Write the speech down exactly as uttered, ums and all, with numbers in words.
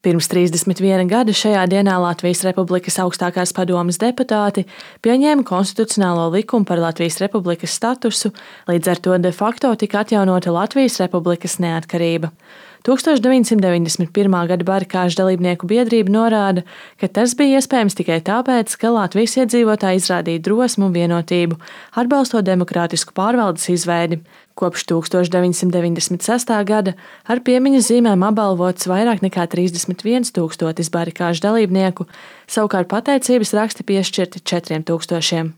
Pirms trīsdesmit viena gada šajā dienā Latvijas Republikas augstākās padomes deputāti pieņēma konstitucionālo likumu par Latvijas Republikas statusu, līdz ar to de facto tika atjaunota Latvijas Republikas neatkarība. tūkstoš deviņsimt deviņdesmit pirmā gada barikāžu dalībnieku biedrība norāda, ka tas bija iespējams tikai tāpēc, ka Latvijas iedzīvotāji izrādīja drosmu un vienotību, atbalstot demokrātisku pārvaldes izveidi. Kopš tūkstoš deviņsimt deviņdesmit sestā gada ar piemiņas zīmēm apbalvots vairāk nekā trīsdesmit viens tūkstotis barikāžu dalībnieku, savukārt pateicības raksti piešķirti četriem tūkstošiem.